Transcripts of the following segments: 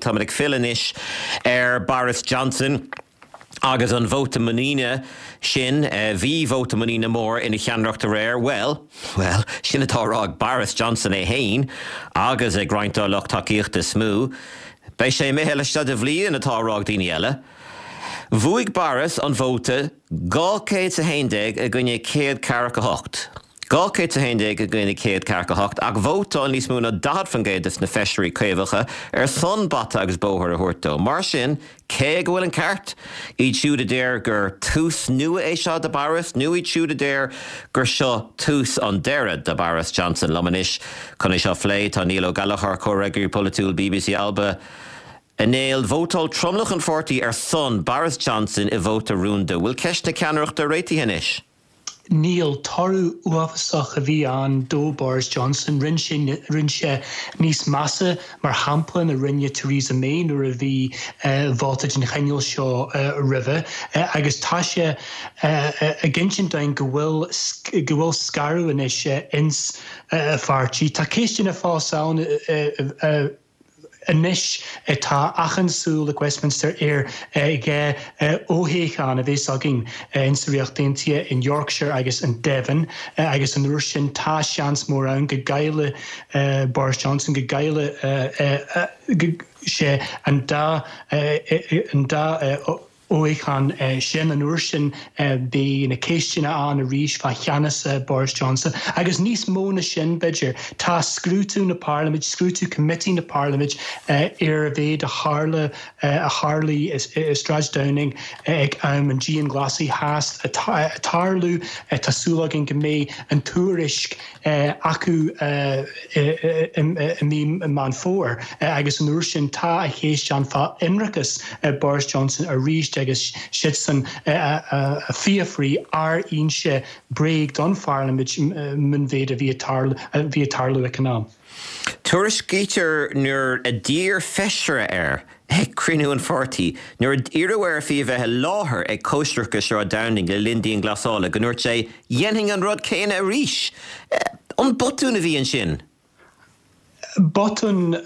Táimid ag filleadh anois ar Boris Johnson agus an vóta muiníne sin. Bhí vóta muiníne mór ina cheannaireacht aréir. Bhuel, bhuel, sin atá á rá ag Boris Johnson é féin agus ag roinnt dá lucht tacaíochta is mó. Beidh sé imithe laistigh de bhliain, atá á rá ag daoine eile. Bhuaigh Boris an vóta 211 i gcoinne 148. 211 i gcoinne 148, ach vótáil níos mó ná 40% de na feisirí Caomhacha ar son bata agus bóthar a thabhairt dó. Mar sin, cé aige a bhfuil an ceart? Iad siúd a deir gur tús nua é seo do Boris, nó iad siúd a deir gur seo tús an deireadh do Boris Johnson? Liom anois chun é seo a phlé tá Niall Ó Gallchóir, Comhfhreagraí Polaitiúil bbc Alba. A Néill, vótáil tromlach an pháirtí ar son Boris Johnson i vóta rúnda. Bhfuil ceist na ceannaireachta réitithe anois? Níl. Toradh uafásach a bhí ann do Boris Johnson. Rinne sé rinne sé níos measa, mar shampla, ná rinne Theresa May nuair a bhí vóta den chineál seo roimhe. Agus tá sé ag insint dúinn go bhfuil go bhfuil scaradh anois ins a pháirtí. Tá ceisteanna fós ann. Anois tá achan súil ag Westminster ar 2 fhothoghchán a bheas againn insa Ríocht Aontaithe, in Yorkshire agus in Devon, agus an uair sin tá seans mór ann go gcaillfidh Boris Johnson, go gcaillfidh sé an dá fhothoghchán sin. An uair sin beidh na ceisteanna ann arís fá cheannas Boris Johnson. Agus níos mó na sin, b'fhéidir, tá scrúdú na Parlaiminte, scrúdú Comití na Parlaiminte ar a mhéid a tharla, a tharlaigh i Sráid Downing ag am an dianghlasáil theas ag tarlú. Tá súil againn go mbeidh an tuairisc acu i mí Meán Fómhair agus an uair sin tá a cheist ann fá ionracas Boris Johnson arís agus siadsan a fiafraí ar inse bréag don Pharlaimint faoin mhéid a bhí ag tarlú ag an am. Tuairiscítear nuair a d'iarr feisire air Ag cruinniú an pháirtí, nuair a iarradh air fiú a bheith i láthair ag cóisireacha Sráid Downing le linn dianghlasála, go ndúirt sé, 'Dhéanfainn an rud céanna arís! An botún a bhí ansin? Botún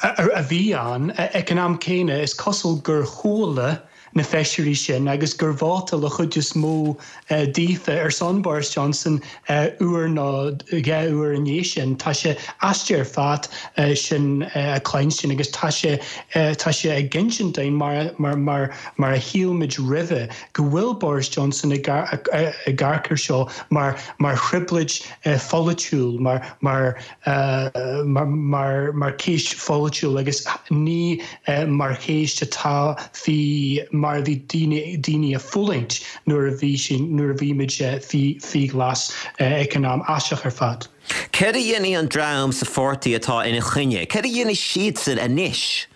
a bhí ann. Ag an am céanna, is cosúil gur chuala na feisirí sin agus gur vótáil an chuid is mó daofa ar son Boris Johnson uair nó 2 uair i ndiaidh sin. Tá sé aisteach ar fad sin a chluinstin agus tá sé tá sé ag insint dúinn mar mar mar mar a shíl muid roimhe go bhfuil Boris Johnson ag amharc air seo mar mar thrioblóid pholaitiúil mar mar mar mar cheist pholaitiúil agus ní mar cheist atá faoi mar a bhí daoine daoine ag fulaingt nuair a bhí sin nuair a bhí muid faoi faoi ghlas ag an am. Aisteach ar fad. Céard a dhéanfaidh an dream sa pháirtí atá ina choinne? Céard a dhéanfaidh siadsan anois?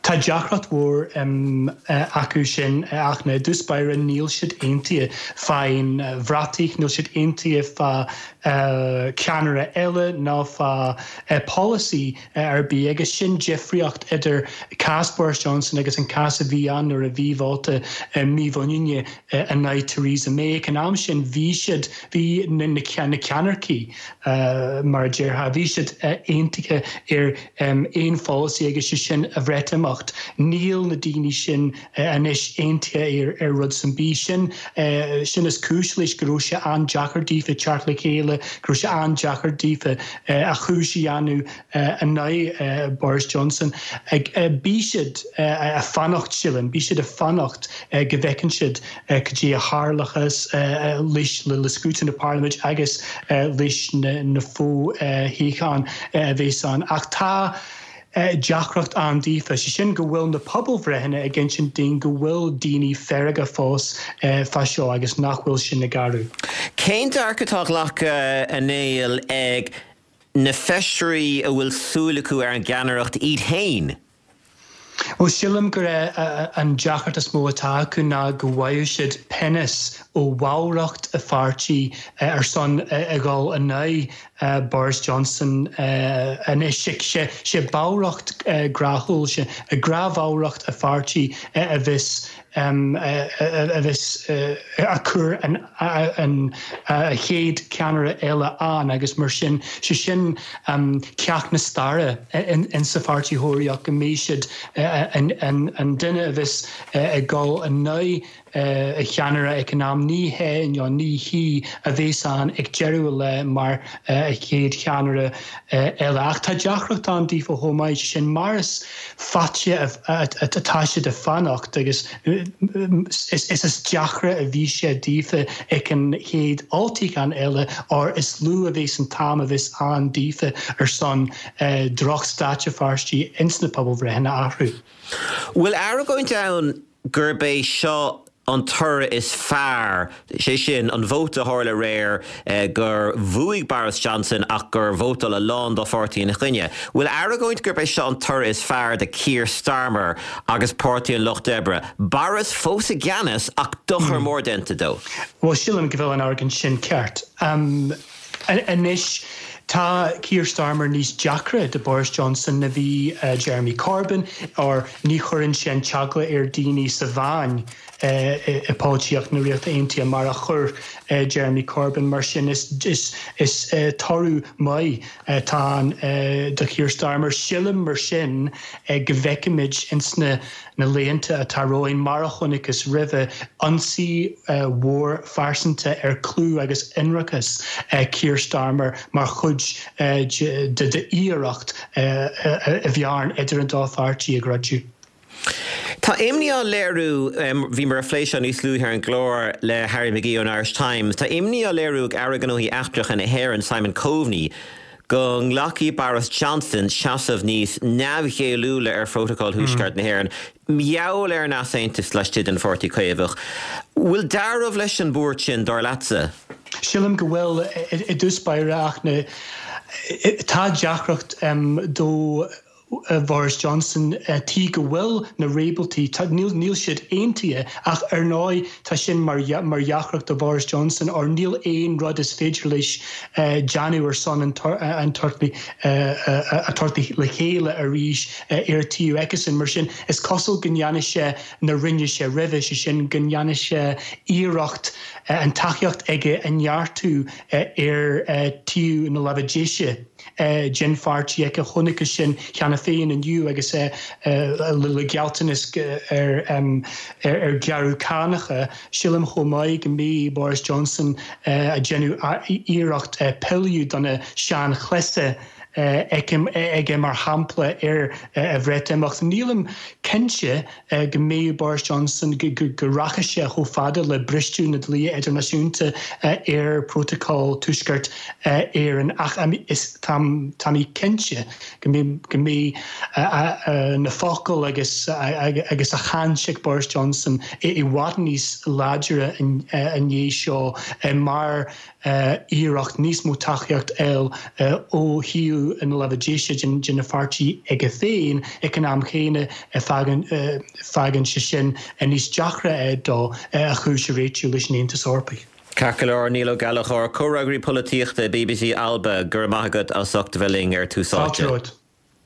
Tá deacracht mhór acu sin ach i dtús báire níl siad aontaithe fán bhratach, níl siad aontaithe fá cheannaire eile ná fá pholasaí ar bith agus sin difríocht idir cás Boris Johnson agus an cás a bhí ann nuair a bhí vóta mímhuiníne in aghaidh Theresa May. Ag an am sin bhí siad, bhí na ceannaircigh mar a déarfá, bhí siad aontaithe ar aon pholasaí agus sé sin an Bhreatimeacht. Níl na daoine sin anois aontaithe ar rud ar bith. Sin sin is cúis leis go raibh sé an-deacair daofa teacht le chéile, go raibh sé an-deacair daofa a chúis a dhéanamh in aghaidh Boris Johnson. Beidh siad ag fanacht, sílim, beidh siad ag fanacht go bhfeiceann siad cad é a tharlóchas leis le scrúdú na Parlaiminte agus leis na fo-thoghcháin a bheas ann. Ach tá deacracht ann daofa, sé sin go bhfuil na pobalbhreitheanna ag insint dúinn go bhfuil daoine feargach fós fá seo agus nach bhfuil sin ag athrú. Cén dearcadh atá á ghlacadh, a Néill, ag na feisirí a bhfuil súil acu ar an gceannaireacht iad féin? Bhuel, sílim gur é an deacracht is mó atá acu ná go bhfaigheadh siad pionós ó bhallraíocht a pháirtí ar son a dhul in aghaidh. Boris Johnson anois. Sé ballraíocht ghnáthiúil, sé gnáthbhallraíocht a pháirtí a bheas a bheas ag cur an chéad cheannaire eile ann agus mar sin, sé sin ceacht na staire insa Pháirtí Thóraíoch go mbeidh siad an duine a bheas ag dul in aghaidh a cheannaire ag an am, ní hé nó ní hí a bheas ann ag deireadh an lae mar chéad cheannaire eile. Ach tá deacracht ann daofa chomh maith, sé sin mar is faide atá siad ag fanacht agus is is deacra a bhí sé daofa ag an chéad olltoghchán eile or is lú a bheas an t-am a bheas ann daofa ar son drochstaid a pháirtí ins na pobalbhreitheanna a athrú. Bhfuil argóint ann gurb é seo an toradh is fearr, sé sin, an vóta a tharla aréir gur bhuaigh Boris Johnson ach gur vótáil a lán dá pháirtí ina choinne. Bhfuil argóint gurb é seo an toradh is fearr do Keir Starmer agus Páirtí an Lucht Oibre? Boris fós i gceannas ach dochar mór déanta dó. Bhuel, sílim go bhfuil an argóint sin ceart. Anois, tá Keir Starmer níos deacra do Boris Johnson na bhí Jeremy Corbyn, or ní chuireann sé an t-eagla ar daoine sa mheáin i polaitíocht na Ríochta Aontaithe mar a chuir Jeremy Corbyn. Mar sin, is toradh maith atá ann do Keir Starmer. Sílim, mar sin, go bhfeicfimid ins na na laethanta atá romhainn, mar a chonacthas roimhe, ionsaí mhór phearsanta ar clú agus ionracas Keir Starmer mar chuid d'iarracht a bhearna idir an dá pháirtí a dhruidiú. Tá imní á léiriú, bhíomar ag plé seo níos luaithe ar an gclár le Harry McGee ón Irish Times, tá imní á léiriú ag Aire Gnóthaí Eachtracha na hÉireann, Simon Coveney, go nglacfaidh Boris Johnson seasamh níos neamhghéilliúla ar Phrótacal Thuaisceart na hÉireann, mar gheall ar an easaontas laistigh den Pháirtí Caomhach. Bhfuil dealramh leis an mbuairt sin, dar leatsa? Sílim go bhfuil, i dtús báire, ach tá deacracht do Bhoris Johnson, tuige go bhfuil na réabhaltaí, níl siad aontaithe ach ar ndóigh tá sin mar dheacracht do Bhoris Johnson or níl aon rud is féidir leis déanamh ar son an tabhairt a tabhairt le chéile arís ar taobh acusan. Mar sin is cosúil go ndéanfaidh sé na rinne sé roimhe, sé sin go ndéanfaidh sé iarracht an tacaíocht aige a neartú ar taobh na láimhe deise. den pháirtí aige. Chonacthas sin cheana féin inniu agus é le gealltanas ar ghearradh cánacha. Sílim chomh maith go mbeidh Boris Johnson ag déanamh iarracht pilleadh do na seanchleasa aige mar shampla ar a Bhreatimeacht. Nílim cinnte go mbeidh Boris Johnson, go rachaidh sé chomh fada le bristeadh na dlíthe idirnáisiúnta ar Prótacal Tuaisceart Éireann ach tá mé cinnte go mbeidh na focail agus agus a chaint ag Boris Johnson i bhfad níos láidre i ndiaidh seo mar iarracht níos mó tacaíocht fháil ó thaobh na láimhe deise den na pháirtí aige féin ag an am chéanna fágann sé sin níos deacra é dó a chúis a réitiú leis an Aontas Eorpaigh. Ceart go leor, Niall Ó Gallchóir, Comhfhreagraí Polaitíochta BBC Alba, go raibh maith agat as ucht a bheith linn ar Tús Áite. Fáilte romhat.